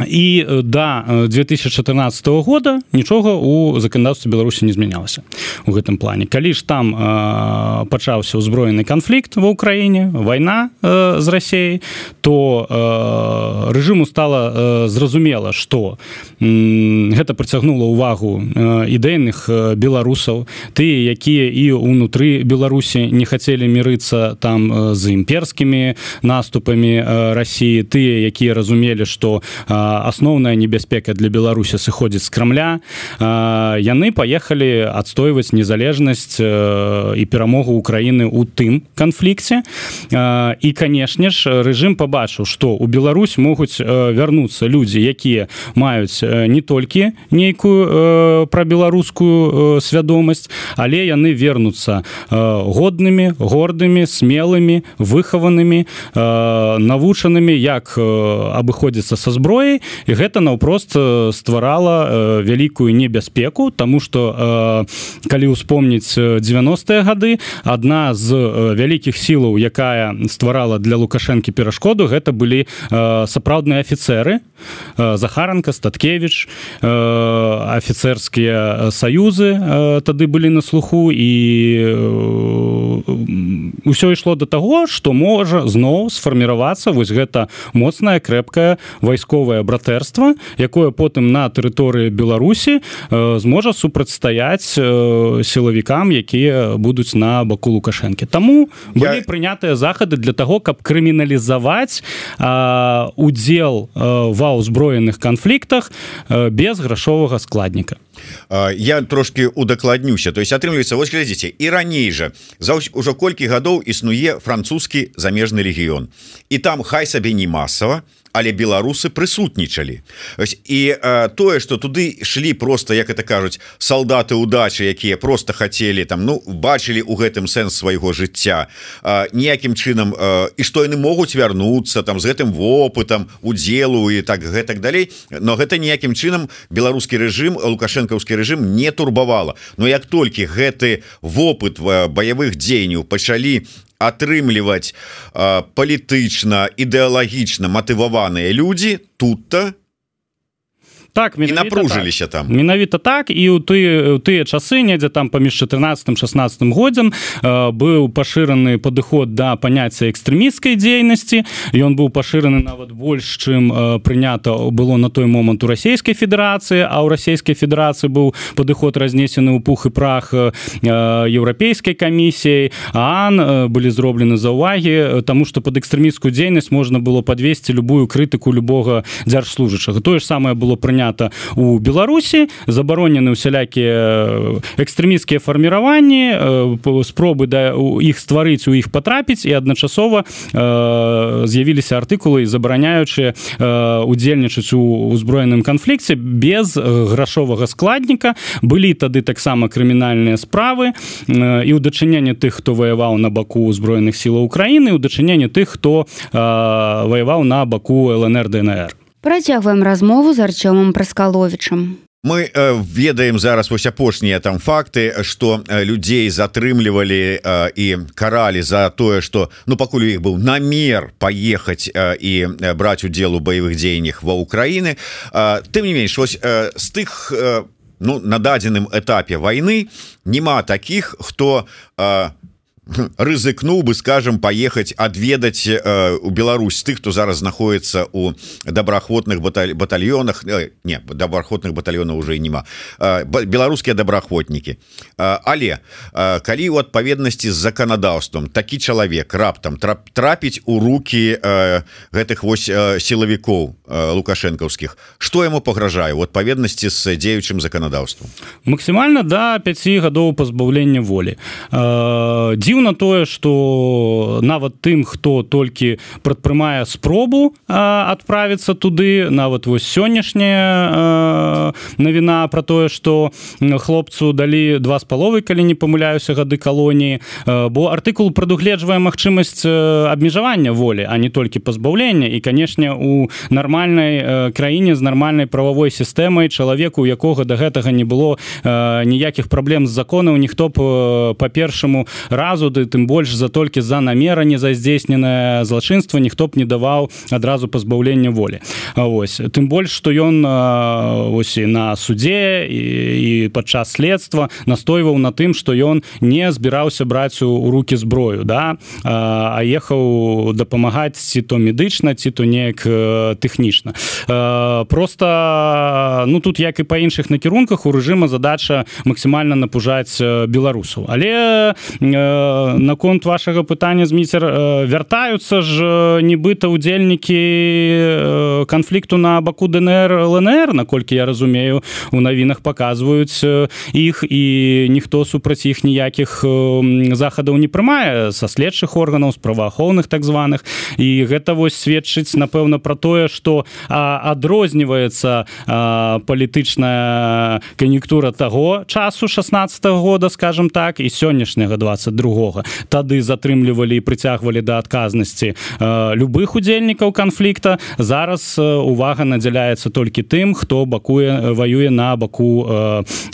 і да две тысячи чатырнаццатого года нічога у заканадаўстве Беларусі не змянялася у гэтым плане. Калі ж там э, пачаўся ўзброены канфлікт ва ўкраіне, вайна э, з Расіяй, то э, рэжыму стала э, зразумела, што э, гэта прыцягнула ўвагу э, ідэйных э, беларусаў, тыя, якія і ўнутры Беларусі не хацелі мірыцца там э, з імперскімі наступамі э, Расіі, тыя, якія разумелі, што э, асноўная небяспека для Беларусі сыходзіць з Крамля, яны паехалі адстойваць незалежнасць і перамогу Украіны ў тым канфлікце. І, канешне ж, рэжым пабачыў, што ў Беларусь могуць вярнуцца людзі, якія маюць не толькі нейкую прабеларускую свядомасць, але яны вернуцца годнымі, гордымі, смелымі, выхаванымі, навучанымі, як абыходзіцца са зброяй, гады і гэта наўпрост стварала вялікую небяспеку, таму што калі ўспомніць дзевяностыя гады, адна з вялікіх сілаў, якая стварала для Лукашэнкі перашкоду, гэта былі сапраўдныя афіцэры, Захаранка, Статкевіч, афіцэрскія саюзы тады былі на слуху, і ўсё ішло да таго, што можа зноў сфарміравацца вось гэта моцнае, крэпкае вайсковае братэрства, якое потым на тэрыторыі Беларусі зможа супрацьстаяць сілавікам, якія будуць на баку Лукашэнкі. Таму былі Я... прынятыя захады для таго, каб крыміналізаваць удзел ва ўзброеных канфліктах без грашовага складніка. Я трошки удакладнюся. То есть атрымліваецца, вось глядзіце, і раней жа за ўжо колькі гадоў існуе французскі замежны легіён. І там хай сабе не масава, але беларусы прысутнічалі. І э, тое, што туды шлі просто, як это кажуць, салдаты удачы, якія просто хацелі там, ну, бачылі ў гэтым сэнс свайго жыцця, э, ніякім чынам, э, і што яны могуць вярнуцца там з гэтым вопытам, удзелу і так гэтак далей, но гэта ніякім чынам беларускі рэжым, лукашэнкаўскі рэжым не турбавала. Но як толькі гэты вопыт баявых дзеянняў пачалі атрымліваць э, палітычна, ідэалагічна матываваныя людзі, тут-то так, і напружыліся так. там. Менавіта так, і ў тыя, ў тыя часы, недзе там паміж чатырнаццатым шаснаццатым годзям э, быў пашыраны падыход да паняцця экстрэмісцкай дзейнасці, ён быў пашыраны нават больш, чым э, прынята было на той момант у Расійскай Федэрацыі, а ў Расійскай Федэрацыі быў падыход разнесены ў пух і прах э, Еўрапейскай камісіяй, ААН, э, былі зроблены заўвагі, таму што пад экстрэмісцкую дзейнасць можна было падвесці любую крытыку любога дзяржслужачага. Тое ж самае было прынята у Беларусі, забаронены усялякія экстрэмісцкія фарміраванні, спробы да іх стварыць, у іх патрапіць, і адначасова з'явіліся артыкулы, забараняючыя удзельнічаць у узброеным канфлікце без грашовага складніка. Былі тады таксама крымінальныя справы і ў дачыненні тых, хто ваяваў на баку узброеных сілаў Украіны, і ў дачыненні тых, хто ваяваў на баку ЛНР, ДНР. Працягваем размову з Арцёмам Праскаловічам. Мы э, ведаем зараз вось апошнія там факты, што э, людзей затрымлівалі э, і каралі за тое, што ну пакуль у іх быў намер паехаць э, і э, браць удзел у баявых дзеяннях ва Ўкраіны. Э, тым не менш, вось э, з тых э, ну, на дадзеным этапе вайны няма такіх, хто э, рызыкнуў бы, скажем, паехаць адведаць э, у Беларусь тых, хто зараз знаходіцца у добраахвотных баталь... батальёнах, э, не, добраахвотных батальёнаў уже і няма, э, беларускія добраахвотнікі. Э, але э, калі ў адпаведнасці з заканадаўствам такі чалавек раптам трап... трапіць у рукі э, гэтых вось э, сілавікоў э, лукашэнкаўскіх, што яму пагражае ў адпаведнасці з дзеючым заканадаўствам? Максімальна да пяці гадоў пазбаўлення волі. Э, Дзіўна тое, што нават тым, хто толькі прадпрымае спробу адправіцца туды, нават вось сённяшняя навіна пра тое, што хлопцу далі два з паловай, калі не памыляюся, гады калоніі, бо артыкул прадугледжвае магчымасць абмежавання волі, а не толькі пазбаўлення. І, канешне, у нармальнай краіне з нармальнай прававой сістэмай чалавеку, у якога да гэтага не было ніякіх праблем з законаў, ніхто б па першаму разу, ды тым больш за толькі за намеране, за здзейсненае злачынства ніхто б не даваў адразу пазбаўлення волі. Вось. Тым больш, што ён ось і на судзе і, і падчас следства настойваў на тым, што ён не збіраўся браць у рукі зброю, да? а ехаў дапамагаць ці то медычна, ці то неяк тэхнічна. Просто ну тут, як і па іншых накірунках, у рэжыма задача максімальна напужаць беларусаў. Але наконт вашага пытання, Зміцер, вяртаюцца ж нібыта удзельнікі канфлікту на баку ДНР, ЛНР, наколькі я разумею, у навінах паказваюць іх, і ніхто супраць іх ніякіх захадаў не прымае са следчых органаў, з праваахоўных так званых. І гэта вось сведчыць, напэўна, пра тое, што адрозніваецца палітычная кан'юнктура таго часу шаснаццатага года, скажем так, і сённяшняга дваццаць другога. другога. Тады затрымлівалі і прыцягвалі да адказнасці любых удзельнікаў канфлікта. Зараз увага надзяляецца толькі тым, хто бакуе ваюе на баку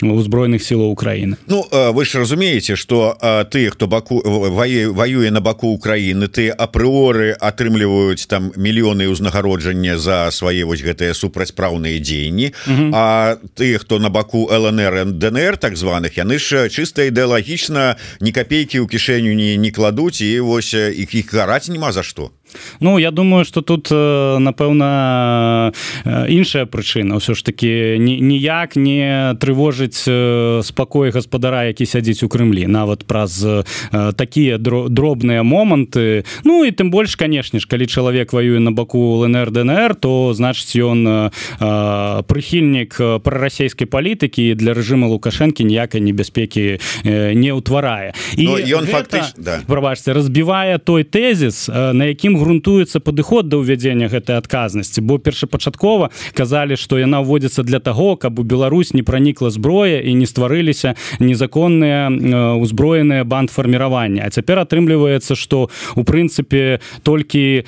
узброеных сілаў Украіны. Ну вы ж разумееце, што ты, хто баку ваюе на баку Украіны, ты апрыоры атрымліваюць там мільёны ўзнагароджання за свае вось гэтыя супрацьпраўныя дзеянні. Uh-huh. А ты, хто на баку ЛНР, ДНР так званых, яны ж чыста ідэалагічна ні капейкі ў кішэню не, не кладуць, і вось іх іх караць няма за што. Ну, я думаю, што тут, напэўна, іншая прычына. Ўсё ж такі ніяк не трывожыць спакой гаспадара, які сядзіць у Крымлі, нават праз такія дробныя моманты. Ну, і тым больш, канешне ж, калі чалавек ваюе на баку ЛНР, ДНР, то, значыць, ён прыхільнік прарасійскай палітыкі, і для рэжыма Лукашэнкі ніякай небяспекі не ўтварае. І ён гэта, фактыч... да. прабачце, разбівае той тэзіс, на якім грунтуецца падыход да ўвядзення гэтай адказнасці, бо першапачаткова казалі, што яна ўводзіцца для таго, каб у Беларусь не пранікла зброя і не стварыліся незаконныя узброеныя бандфарміраванні. А цяпер атрымліваецца, што у прынцыпе толькі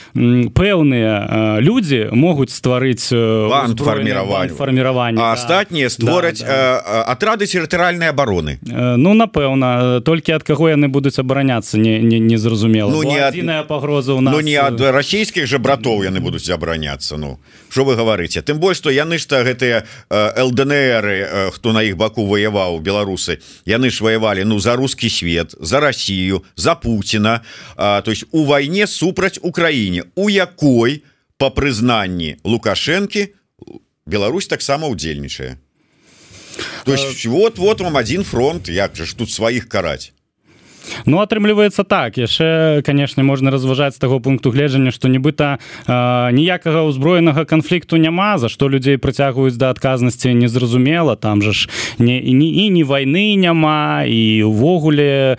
пэўныя людзі могуць стварыць бандфарміраванні, а астатнія створаць да, да. атрады тэрытарыяльнай абароны. Ну, напэўна, толькі ад каго яны будуць абараняцца, не, не, не зразумела. Ну, не адзіная пагроза ў нас... Ну, не ад расійскіх жа братоў яны будуць абараняцца. Ну, што вы гаварыце? Тым больш, што яны ж гэтыя ЛДНРы, хто на іх баку ваяваў, беларусы, яны ж ваявалі, ну, за рускі свет, за Расію, за Пуціна, а, то есть у вайне супраць Украіне, у якой, па прызнанні Лукашэнкі, Беларусь таксама ўдзельнічае. То есть вот, вот вам один фронт, як же ж тут сваіх караць. Ну, атрымліваецца так. Яшчэ, канешне, можна разважаць з таго пункту гледжання, што нібыта э, ніякага ўзброенага канфлікту няма, за што людзей прыцягваюць да адказнасці незразумела. Там жа ж не, і, і ні вайны няма, і ўвогуле э,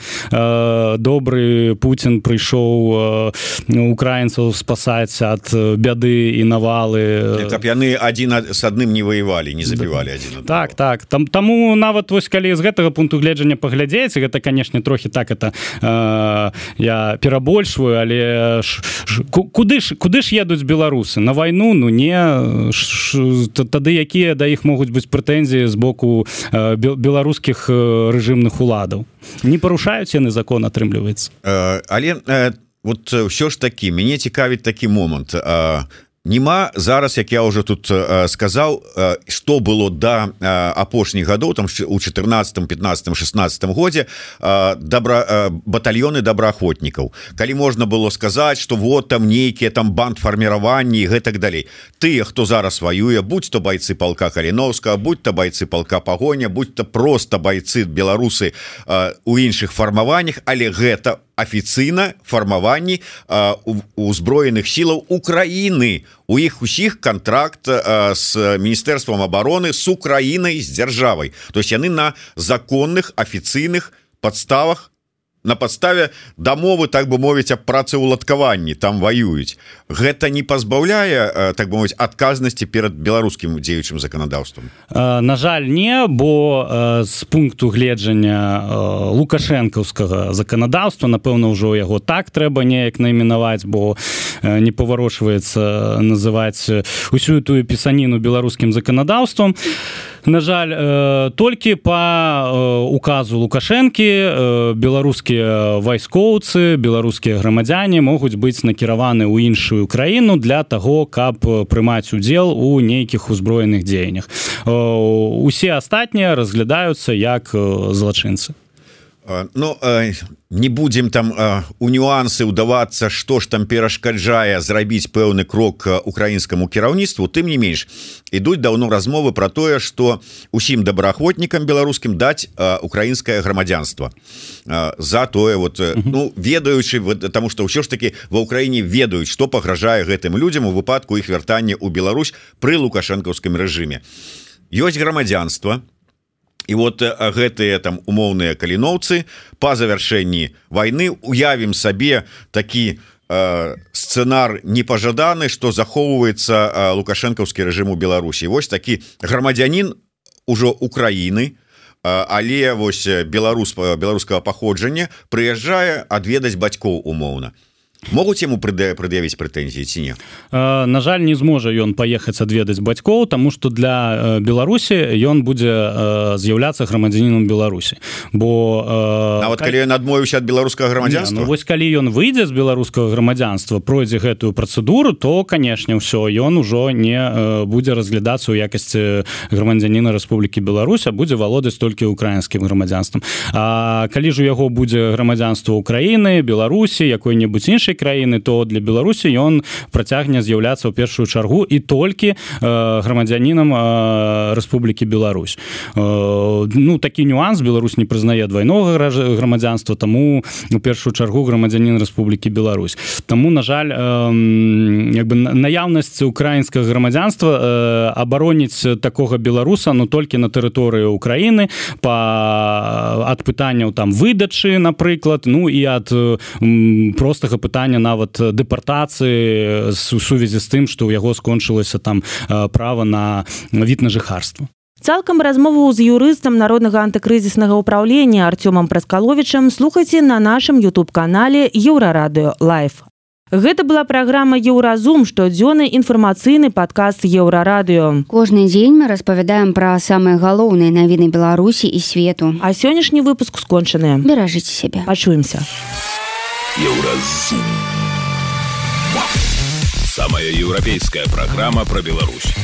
добры Пуцін прыйшоў э, украінцаў спасаць ад бяды і навалы. Каб яны адзін з адным не ваявалі, не забівалі адзін. Так, так. Там, таму нават вось калі з гэтага пункту гледжання паглядзець, гэта, канешне, трохі так это э, я перабольшваю, але ш, ш, куды ж куды ж едуць беларусы на вайну? Ну не ш, ш, тады якія да іх могуць быць прэтэнзіі з боку э, беларускіх э, рэжымных уладаў? Не парушаюць яны закон, атрымліваецца. Э, але э, вот ўсё ж такі мяне цікавіць такі момант. Э, Нема зараз, як я уже тут э, сказаў, э, што было да э, апошніх гадоў, там у чатырнаццатым, пятнаццатым, шестнаццатым годзе э, добра, э, батальёны добраахвотнікаў. Калі можна было сказаць, што вот там нейкія там бандфарміраванні і гэтак далей. Тыя, хто зараз ваюе, будь то байцы палка Каліноўскага, будь то байцы палка Пагоня, будь то проста байцы беларусы э, у іншых фармаваннях, але гэта афіцыйна фармаванні э, узброеных сілаў Украіны. У іх усіх контракт э, с Міністэрствам обороны, с Украінай, з дзяржавай. То есть яны на законных афіцыйных падставах, на падставе дамовы, так бы мовіць, аб працаўладкаванні там ваююць. Гэта не пазбаўляе, так бы мовіць, адказнасці перад беларускім дзеючым заканадаўствам? На жаль, не, бо з пункту гледжання лукашэнкаўскага заканадаўства, напэўна, ўжо яго так трэба неяк найменаваць, бо не паварочваецца называць усю тую пісаніну беларускім заканадаўствам. На жаль, толькі па указу Лукашэнкі беларускія вайскоўцы, беларускія грамадзяне могуць быць накіраваны ў іншую краіну для таго, каб прымаць удзел у нейкіх узброеных дзеяннях. Усе астатнія разглядаюцца як злачынцы. Ну, не будем там у нюансы ўдавацца, што ж там перашкаджае зрабіць пэўны крок украінскаму кіраўніцтву. Тым не менш, ідуць даўно размовы пра тое, што усім добраахвотнікам беларускім даць украінскае грамадзянства. За тое, вот, ну, ведаючы, таму што ўсё ж такі ва ўкраіне ведаюць, што пагражае гэтым людзям у выпадку іх вяртання ў Беларусь пры лукашэнкаўскім рэжыме. Ёсць грамадзянства, і вот гэтыя там умоўныя каліноўцы па завяршэнні вайны уявім сабе такі э, сцэнар непажаданы, што захоўваецца э, лукашэнкаўскі рэжым у Беларусі. Вось такі грамадзянін ужо Украіны але вось беларус беларускага паходжання прыязджае адведаць бацькоў умоўна. Могуць яму прад'явіць прэтэнзіі ці не? На жаль, не зможа ён паехаць адведаць бацькоў, таму што для Беларусі ён будзе з'яўляцца грамадзянінам Беларусі. Бо нават калі ён адмовіўся ад беларускага грамадзянства? Ну, вось калі ён выйдзе з беларускага грамадзянства, пройдзе гэтую працэдуру, то, канешне, ўсё, ён ужо не будзе разглядацца ў якасці грамадзяніна Рэспублікі Беларусь, а будзе валодаць толькі украінскім грамадзянствам. А калі ж у яго будзе грамадзянства Украіны, Беларусі, якой-небудзь іншай краіны, то для Беларусі ён працягне з'яўляцца ў першую чаргу і толькі э, грамадзянінам э, Рэспублікі Беларусь. Э, ну, такі нюанс, Беларусь не прызнае двайнога грамадзянства, таму у першую чаргу грамадзянін Рэспублікі Беларусь. Таму, на жаль, э, як бы наяўнасць украінскага грамадзянства э, абароніць такога беларуса, ну, толькі на тэрыторыі Украіны па ад пытанняў там выдачы, напрыклад, ну і ад э, простага пытання нават дэпартацыі у сувязі з тым, што ў яго скончылася там права на від на жыхарства. Цалкам размову з юрыстам Народнага антыкрызіснага ўпраўлення Артёмам Праскаловічам слухайце на нашым ютуб-канале Еўрарадыё Лайв. Гэта была праграма «Еўразум», штодзённы інфармацыйны падкаст Еўрарадыё. Кожны дзень мы распавядаем пра самыя галоўныя навіны Беларусі і свету. А сённяшні выпуск скончаны. Беражыце сябе. Пачуемся. Еўразум. Самая еўрапейская программа про Беларусь.